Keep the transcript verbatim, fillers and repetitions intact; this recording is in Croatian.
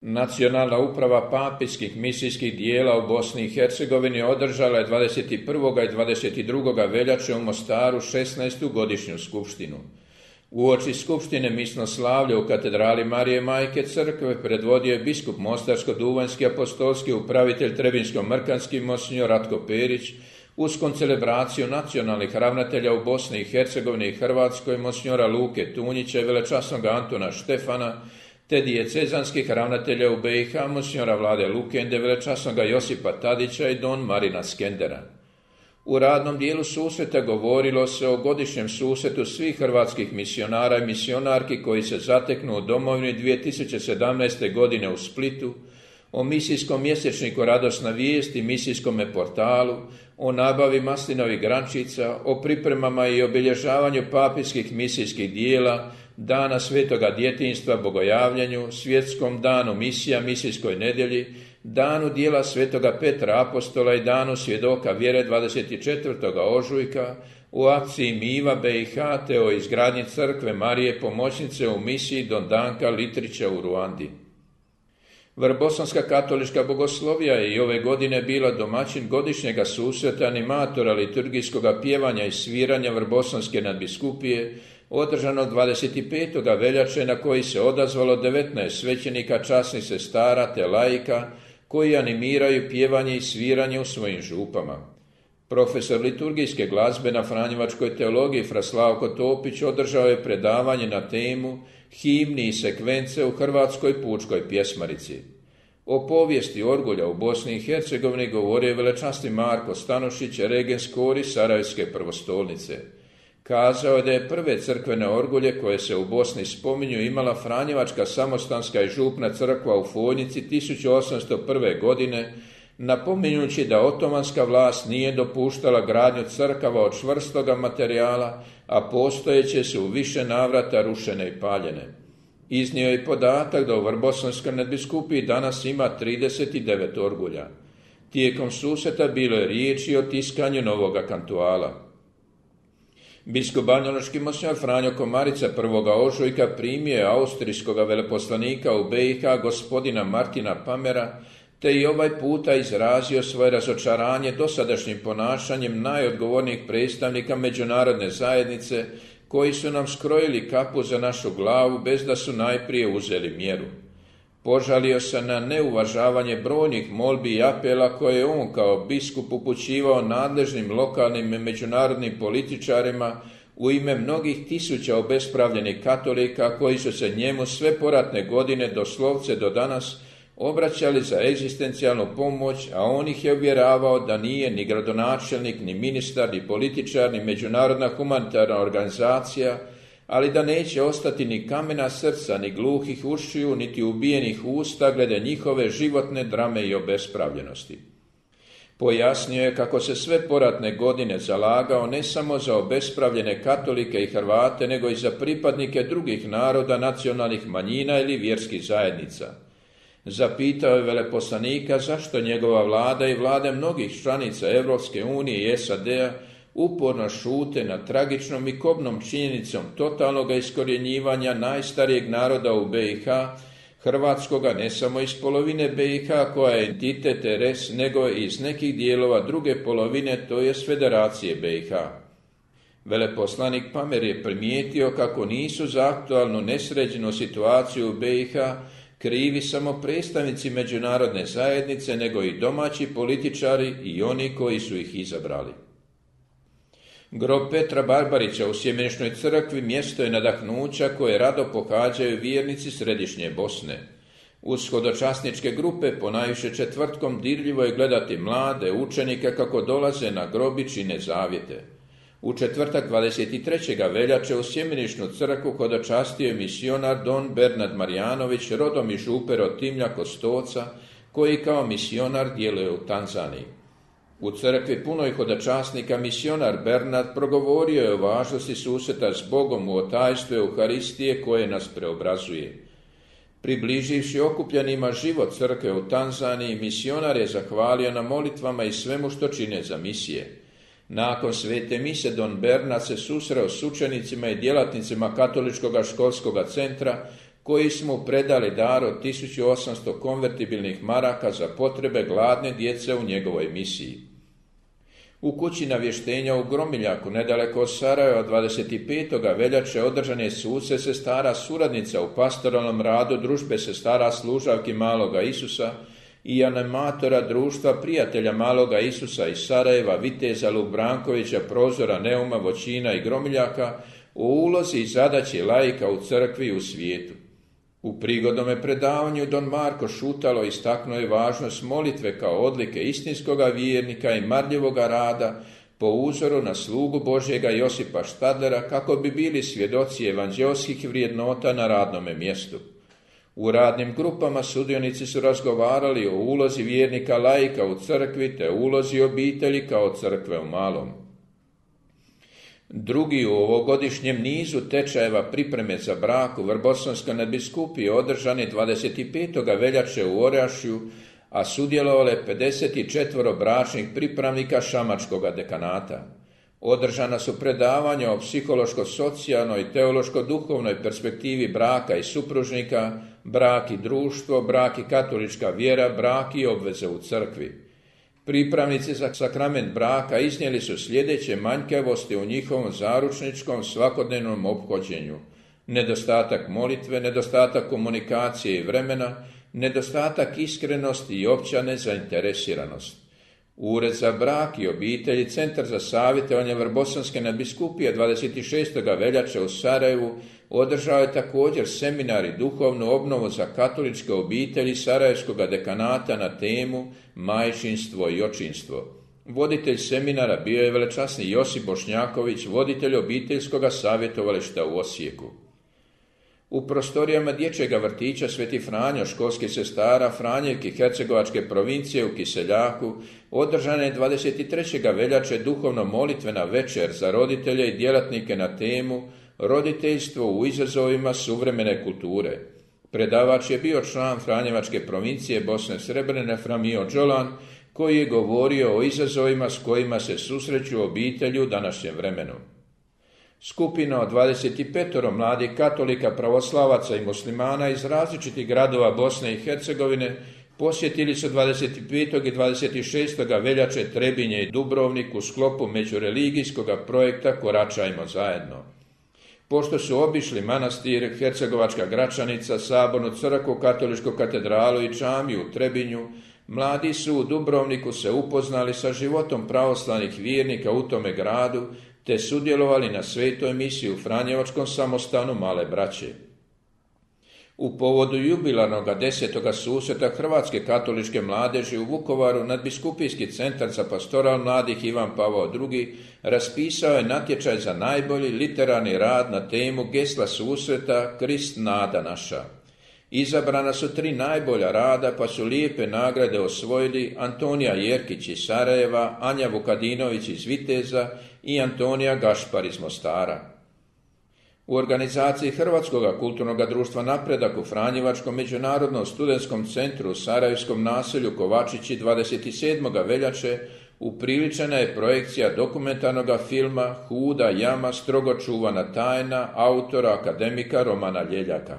Nacionalna uprava papijskih misijskih dijela u Bosni i Hercegovini održala je dvadeset prvog i dvadeset drugog veljače u Mostaru šesnaestu godišnju skupštinu. Uoči skupštine misnoslavlja u katedrali Marije Majke crkve predvodio je biskup Mostarsko-duvanjski apostolski upravitelj Trebinsko-mrkanski monsinjor Ratko Perić uz koncelebraciju nacionalnih ravnatelja u Bosni i Hercegovini i Hrvatskoj monsinjora Luke Tunjića i velečasnog Antuna Štefana, te dijecezanskih ravnatelja u B i H monsinjora Vlade Lukende, velečasnog Josipa Tadića i don Marina Skendera. U radnom dijelu susreta govorilo se o godišnjem susretu svih hrvatskih misionara i misionarki koji se zateknu u domovini dvije tisuće sedamnaeste. godine u Splitu, o misijskom mjesečniku Radosna vijest i misijskom portalu, o nabavi maslinovih grančica, o pripremama i obilježavanju papijskih misijskih dijela, Dana svetoga djetinjstva Bogojavljanju, svjetskom danu misija misijskoj nedjelji, danu dijela svetoga Petra apostola i danu svjedoka vjere dvadeset četvrtog ožujka, u akciji Miva B i H te o izgradnji crkve Marije pomoćnice u misiji Don Danka Litrića u Ruandi. Vrbosanska katolička bogoslovija je i ove godine bila domaćin godišnjega susreta animatora liturgijskog pjevanja i sviranja Vrbosanske nadbiskupije, održanog dvadeset petog veljače, na koji se odazvalo devetnaest svećenika, časnih sestara te laika koji animiraju pjevanje i sviranje u svojim župama. Profesor liturgijske glazbe na Franjevačkoj teologiji fra Slavko Topić održao je predavanje na temu Himni i sekvence u hrvatskoj pučkoj pjesmarici. O povijesti orgulja u Bosni i Hercegovini govorio je velečasni Marko Stanošić, regens kori Sarajevske prvostolnice. Kazao je da je prve crkvene orgulje koje se u Bosni spominju imala Franjevačka samostanska i župna crkva u Fojnici tisuću osamsto prve. godine, napominjući da otomanska vlast nije dopuštala gradnju crkava od čvrstoga materijala, a postojeće su u više navrata rušene i paljene. Iznio je podatak da u Vrbosanskoj nadbiskupiji danas ima trideset devet orgulja. Tijekom susreta bilo je riječi o tiskanju novoga kantuala. Biskup banjalučki monsinjor Franjo Komarica prvoga ožujka primio je austrijskog veleposlanika u B i H gospodina Martina Pamera, te i ovaj puta izrazio svoje razočaranje dosadašnjim ponašanjem najodgovornijih predstavnika međunarodne zajednice koji su nam skrojili kapu za našu glavu bez da su najprije uzeli mjeru. Požalio se na neuvažavanje brojnih molbi i apela koje je on kao biskup upućivao nadležnim lokalnim i međunarodnim političarima u ime mnogih tisuća obespravljenih katolika koji su se njemu sve poratne godine doslovce do danas obraćali za egzistencijalnu pomoć, a on ih je uvjeravao da nije ni gradonačelnik, ni ministar, ni političar, ni međunarodna humanitarna organizacija, ali da neće ostati ni kamena srca, ni gluhih ušiju, niti ubijenih usta glede njihove životne drame i obespravljenosti. Pojasnio je kako se sve poratne godine zalagao ne samo za obespravljene katolike i Hrvate, nego i za pripadnike drugih naroda, nacionalnih manjina ili vjerskih zajednica. Zapitao je veleposlanika zašto njegova vlada i vlade mnogih članica Europske unije i S A D-a uporno šute nad tragičnom i kobnom činjenicom totalnog iskorjenjivanja najstarijeg naroda u B i H, hrvatskoga ne samo iz polovine B i H koja je entitet res, nego i iz nekih dijelova druge polovine, to je Federacije B i H. Veleposlanik Pamer je primijetio kako nisu za aktualnu nesređenu situaciju u B i H krivi samo predstavnici međunarodne zajednice, nego i domaći političari i oni koji su ih izabrali. Grob Petra Barbarića u Sjemeničnoj crkvi mjesto je nadahnuća koje rado pohađaju vjernici središnje Bosne. Uz hodočasničke grupe ponajviše četvrtkom dirljivo je gledati mlade učenike kako dolaze na grob i čine zavjete. U četvrtak dvadeset trećeg veljače u Sjemeničnu crkvu hodočastio je misionar don Bernard Marjanović, rodom iz župe Rotimlja kod Stoca, koji kao misionar djeluje u Tanzaniji. U crkvi punoj hodočasnika misionar Bernard progovorio je o važnosti susreta s Bogom u otajstvu Euharistije koje nas preobrazuje. Približivši okupljenima život crkve u Tanzaniji, misionar je zahvalio na molitvama i svemu što čine za misije. Nakon svete mise don Bernard se susreo s učenicima i djelatnicima katoličkog školskog centra koji su mu predali dar od tisuću osamsto konvertibilnih maraka za potrebe gladne djece u njegovoj misiji. U kući navještenja u Gromiljaku, nedaleko od Sarajeva, dvadeset petog veljače održan je suce sestara suradnica u pastoralnom radu družbe sestara služavki Maloga Isusa i animatora društva prijatelja Maloga Isusa iz Sarajeva, viteza Lubrankovića, Prozora, Neuma, Voćina i Gromiljaka o ulozi i zadaći laika u crkvi i u svijetu. U prigodnome predavanju don Marko Šutalo istaknuo je važnost molitve kao odlike istinskoga vjernika i marljivoga rada po uzoru na slugu Božjega Josipa Štadlera kako bi bili svjedoci evanđelskih vrijednota na radnome mjestu. U radnim grupama sudionici su razgovarali o ulozi vjernika laika u crkvi te ulozi obitelji kao crkve u malom. Drugi u ovogodišnjem nizu tečajeva pripreme za brak u Vrbosonskoj nadbiskupiji održani dvadeset petog veljače u Orašju, a sudjelovale pedeset četiri bračnih pripravnika Šamačkoga dekanata. Održana su predavanja o psihološko-socijalnoj i teološko-duhovnoj perspektivi braka i supružnika, brak i društvo, brak i katolička vjera, brak i obveze u crkvi. Pripravnici za sakrament braka iznijeli su sljedeće manjkavosti u njihovom zaručničkom svakodnevnom ophođenju: nedostatak molitve, nedostatak komunikacije i vremena, nedostatak iskrenosti i opća nezainteresiranost. Ured za brak i obitelji, Centar za savjetovanje Vrbosonske nadbiskupije dvadeset šestog veljače u Sarajevu održao je također seminar i duhovnu obnovu za katoličke obitelji Sarajevskog dekanata na temu majčinstvo i očinstvo. Voditelj seminara bio je velečasni Josip Bošnjaković, voditelj obiteljskog savjetovališta u Osijeku. U prostorijama dječjega vrtića Sveti Franjo školskih sestara Franjevki Hercegovačke provincije u Kiseljaku održana je dvadeset trećeg veljače duhovno molitvena večer za roditelje i djelatnike na temu roditeljstvo u izazovima suvremene kulture. Predavač je bio član Franjevačke provincije Bosne Srebrene Framio Đolan, koji je govorio o izazovima s kojima se susreću obitelji u današnjem vremenu. Skupina od dvadeset pet mladih katolika, pravoslavaca i muslimana iz različitih gradova Bosne i Hercegovine posjetili su dvadeset petog i dvadeset šestog veljače Trebinje i Dubrovnik u sklopu međureligijskog projekta Koračajmo zajedno. Pošto su obišli manastir, Hercegovačka Gračanica, Sabornu crkvu, Katoličku katedralu i džamiju u Trebinju, mladi su u Dubrovniku se upoznali sa životom pravoslavnih vjernika u tome gradu, te sudjelovali na svetoj misiji u Franjevačkom samostanu Male braće. U povodu jubilarnog desetoga susreta Hrvatske katoličke mladeži u Vukovaru nadbiskupijski centar za pastoral mladih Ivan Pavao drugi raspisao je natječaj za najbolji literarni rad na temu gesla susreta Krist nada naša. Izabrana su tri najbolja rada, pa su lijepe nagrade osvojili Antonija Jerkić iz Sarajeva, Anja Vukadinović iz Viteza i Antonija Gašpar iz Mostara. U organizaciji Hrvatskog kulturnog društva Napredak u Franjevačkom međunarodnom studentskom centru u Sarajevskom naselju Kovačići dvadeset sedmog veljače upriličena je projekcija dokumentarnog filma Huda jama, strogo čuvana tajna autora akademika Romana Ljeljaka.